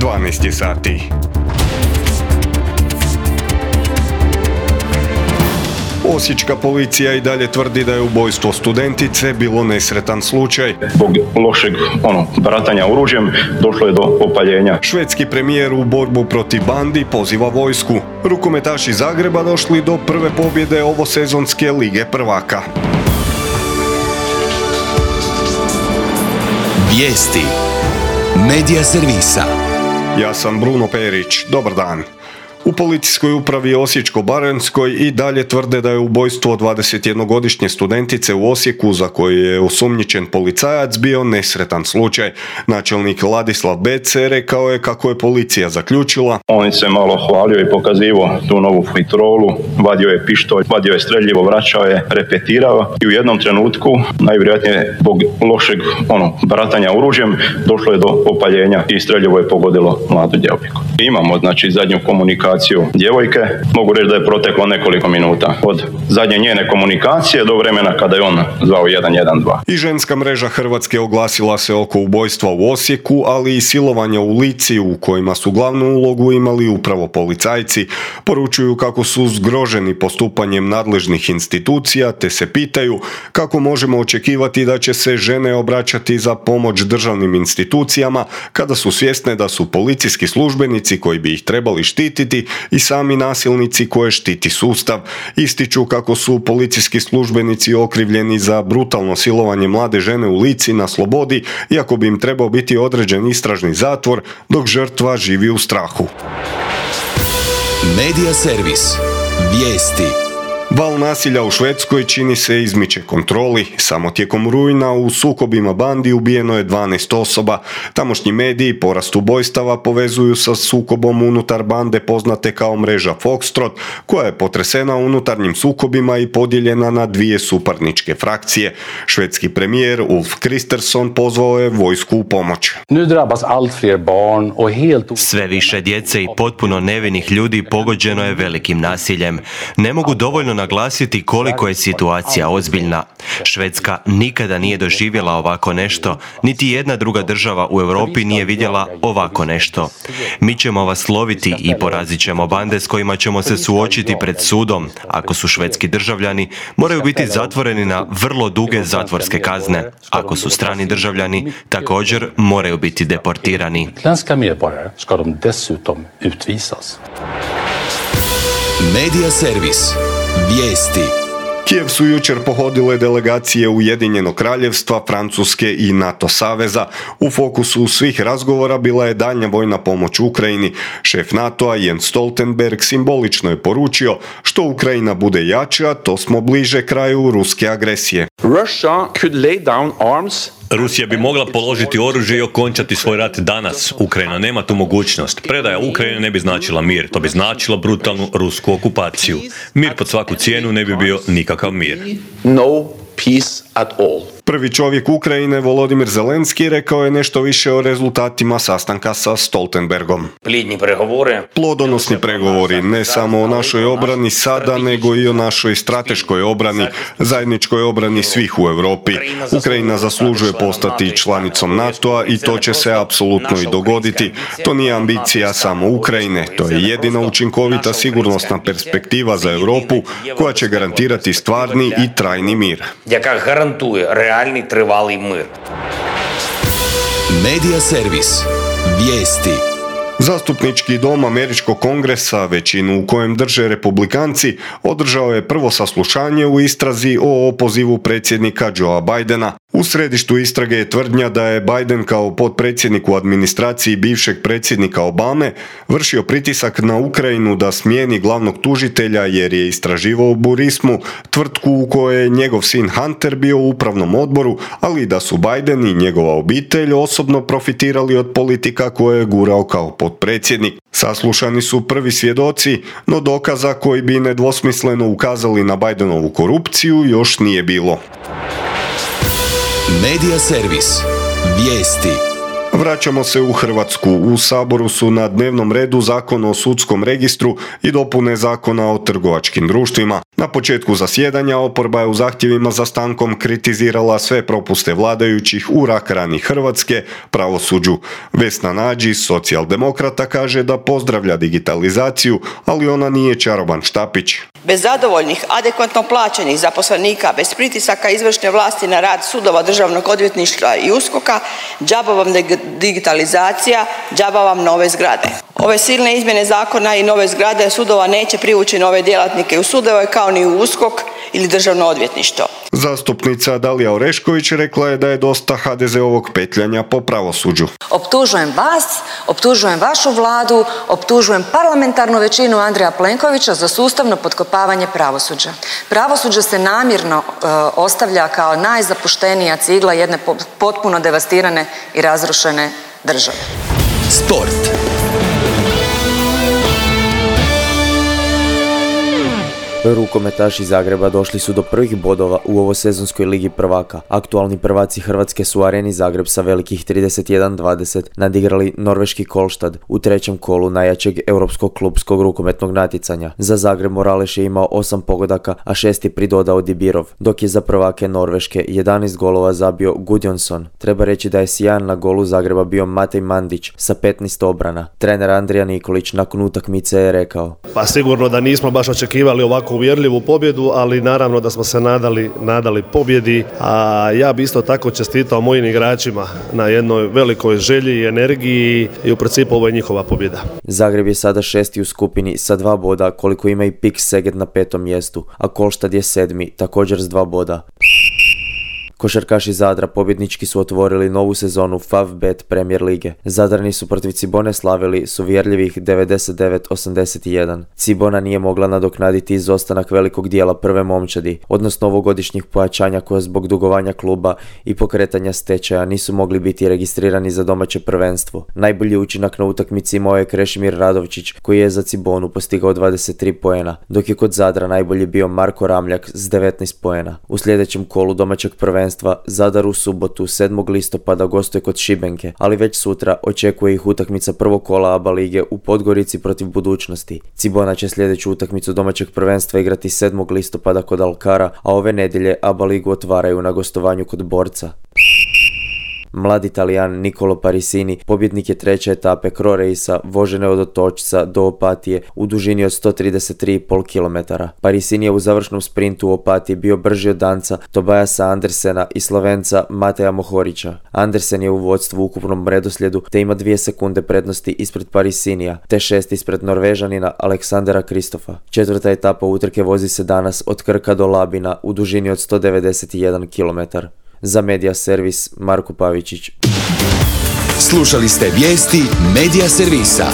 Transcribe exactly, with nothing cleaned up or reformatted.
dvanaest je sati. Osječka policija i dalje tvrdi da je ubojstvo studentice bilo nesretan slučaj. Zbog lošeg ono, baratanja oružjem došlo je do opaljenja. Švedski premijer u borbu protiv bandi poziva vojsku. Rukometaši Zagreba došli do prve pobjede ovosezonske Lige prvaka. Vijesti Medija servisa. Ja sam Bruno Perić. Dobar dan. U policijskoj upravi Osječko-baranjskoj i dalje tvrde da je ubojstvo dvadesetjednogodišnje studentice u Osijeku za koju je osumnjičen policajac bio nesretan slučaj. Načelnik Ladislav Bece rekao je kako je policija zaključila. On se malo hvalio i pokazivao tu novu fitrolu, vadio je pištolj, vadio je streljivo, vraćao je, repetirao i u jednom trenutku, najvjerojatnije zbog lošeg ono, baratanja oružjem, došlo je do opaljenja i streljivo je pogodilo mladu djevojku. Imamo znači zadnju komunikaciju djevojke, mogu reći da je proteklo nekoliko minuta od zadnje njene komunikacije do vremena kada je on zvao jedan jedan dva. I ženska mreža Hrvatske oglasila se oko ubojstva u Osijeku, ali i silovanja u Lici u kojima su glavnu ulogu imali upravo policajci. Poručuju kako su zgroženi postupanjem nadležnih institucija, te se pitaju kako možemo očekivati da će se žene obraćati za pomoć državnim institucijama kada su svjesne da su policijski službenici koji bi ih trebali štititi i sami nasilnici koje štiti sustav. Ističu kako su policijski službenici okrivljeni za brutalno silovanje mlade žene u Lici na slobodi, iako bi im trebao biti određen istražni zatvor, dok žrtva živi u strahu. Medija servis. Vijesti. Val nasilja u Švedskoj čini se izmiče kontroli. Samo tijekom rujna u sukobima bandi ubijeno je dvanaest osoba. Tamošnji mediji porast ubojstava povezuju sa sukobom unutar bande poznate kao mreža Foxtrot, koja je potresena unutarnjim sukobima i podijeljena na dvije suparničke frakcije. Švedski premijer Ulf Kristersson pozvao je vojsku u pomoć. Sve više djece i potpuno nevinih ljudi pogođeno je velikim nasiljem. Ne mogu dovoljno naglasiti koliko je situacija ozbiljna. Švedska nikada nije doživjela ovako nešto, niti jedna druga država u Europi nije vidjela ovako nešto. Mi ćemo vas loviti i porazit ćemo bande s kojima ćemo se suočiti pred sudom. Ako su švedski državljani, moraju biti zatvoreni na vrlo duge zatvorske kazne. Ako su strani državljani, također moraju biti deportirani. Medija servis. Vijesti. Kijev su jučer pohodile delegacije Ujedinjenog kraljevstva, Francuske i NATO saveza. U fokusu svih razgovora bila je daljnja vojna pomoć Ukrajini. Šef NATO-a Jens Stoltenberg simbolično je poručio što Ukrajina bude jača, to smo bliže kraju ruske agresije. Russia could lay down arms. Rusija bi mogla položiti oružje i okončati svoj rat danas. Ukrajina nema tu mogućnost. Predaja Ukrajine ne bi značila mir, to bi značilo brutalnu rusku okupaciju. Mir pod svaku cijenu ne bi bio nikakav mir. No peace at all. Prvi čovjek Ukrajine, Volodimir Zelenski, rekao je nešto više o rezultatima sastanka sa Stoltenbergom. Plodni pregovori. Plodonosni pregovori, ne samo o našoj obrani sada, nego i o našoj strateškoj obrani, zajedničkoj obrani svih u Europi. Ukrajina zaslužuje postati članicom NATO-a i to će se apsolutno i dogoditi. To nije ambicija samo Ukrajine, to je jedina učinkovita sigurnosna perspektiva za Europu koja će garantirati stvarni i trajni mir. Яка гарантує реальний тривалий мир. Medija servis. Vijesti. Zastupnički dom Američkog kongresa, većinu u kojem drže republikanci, održao je prvo saslušanje u istrazi o opozivu predsjednika Joea Bidena. U središtu istrage je tvrdnja da je Biden kao potpredsjednik u administraciji bivšeg predsjednika Obame vršio pritisak na Ukrajinu da smijeni glavnog tužitelja jer je istraživao Burismu, tvrtku u kojoj je njegov sin Hunter bio u upravnom odboru, ali da su Biden i njegova obitelj osobno profitirali od politika koje je gurao kao potpredsjednik. Saslušani su prvi svjedoci, no dokaza koji bi nedvosmisleno ukazali na Bidenovu korupciju još nije bilo. Medija servis. Vijesti. Vraćamo se u Hrvatsku. U Saboru su na dnevnom redu Zakon o sudskom registru i dopune Zakona o trgovačkim društvima. Na početku zasjedanja oporba je u zahtjevima za stankom kritizirala sve propuste vladajućih u rak rani Hrvatske pravosuđu. Vesna Nađi, socijaldemokrata, kaže da pozdravlja digitalizaciju, ali ona nije čaroban štapić. Bez zadovoljnih, adekvatno plaćenih zaposlenika, bez pritisaka izvršne vlasti na rad sudova, državnog odvjetništva i uskoka, džaba vam digitalizacija, džaba vam nove zgrade. Ove silne izmjene zakona i nove zgrade sudova neće privući nove djelatnike u sudove kao ni u uskok ili državno odvjetništvo. Zastupnica Dalija Orešković rekla je da je dosta ha de ze ovog petljanja po pravosuđu. Optužujem vas, optužujem vašu vladu, optužujem parlamentarnu većinu Andreja Plenkovića za sustavno potkopavanje pravosuđa. Pravosuđe se namjerno e, ostavlja kao najzapuštenija cigla jedne potpuno devastirane i razrušene države. Sport. Rukometaši Zagreba došli su do prvih bodova u ovosezonskoj ligi prvaka. Aktualni prvaci Hrvatske su u Areni Zagreb sa velikih trideset jedan dvadeset nadigrali norveški Kolštad u trećem kolu najjačeg europskog klubskog rukometnog natjecanja. Za Zagreb Moraleš je imao osam pogodaka, a šest je pridodao Dibirov, dok je za prvake Norveške jedanaest golova zabio Gudjonsson. Treba reći da je sjajan na golu Zagreba bio Matej Mandić sa petnaest obrana. Trener Andrija Nikolić nakon utakmice je rekao: Pa sigurno da nismo baš očekivali ovako uvjerljivu pobjedu, ali naravno da smo se nadali, nadali pobjedi, a ja bi isto tako čestitao mojim igračima na jednoj velikoj želji i energiji i u principu ovo je njihova pobjeda. Zagreb je sada šesti u skupini sa dva boda, koliko ima i Pik Seget na petom mjestu, a Kolštad je sedmi, također s dva boda. Košarkaši Zadra pobjednički su otvorili novu sezonu Favbet Premier lige. Zadrani su protiv Cibone slavili s uvjerljivih devedeset devet osamdeset jedan. Cibona nije mogla nadoknaditi izostanak velikog dijela prve momčadi, odnosno ovogodišnjih pojačanja koja zbog dugovanja kluba i pokretanja stečaja nisu mogli biti registrirani za domaće prvenstvo. Najbolji učinak na utakmici imao je Krešimir Radovčić, koji je za Cibonu postigao dvadeset tri poena, dok je kod Zadra najbolji bio Marko Ramljak s devetnaest poena. U sljedećem kolu domaćeg prvenstva Zadar u subotu sedmog listopada gostuje kod Šibenke, ali već sutra očekuje ih utakmica prvog kola A B A lige u Podgorici protiv Budućnosti. Cibona će sljedeću utakmicu domaćeg prvenstva igrati sedmog listopada kod Alkara, a ove nedjelje A B A ligu otvaraju na gostovanju kod Borca. Mladi Talijan Nicolo Parisini pobjednik je treće etape Cro Racea vožene od Otočca do Opatije u dužini od sto trideset tri zarez pet kilometara. Parisini je u završnom sprintu u Opatiji bio brži od Danca Tobiasa Andersena i Slovenca Mateja Mohorića. Andersen je u vodstvu u ukupnom redoslijedu te ima dvije sekunde prednosti ispred Parisinija, te šest ispred Norvežanina Aleksandera Kristofa. Četvrta etapa utrke vozi se danas od Krka do Labina u dužini od sto devedeset jedan kilometar. Za Media Servis Marko Pavičić. Slušali ste vijesti Media Servisa.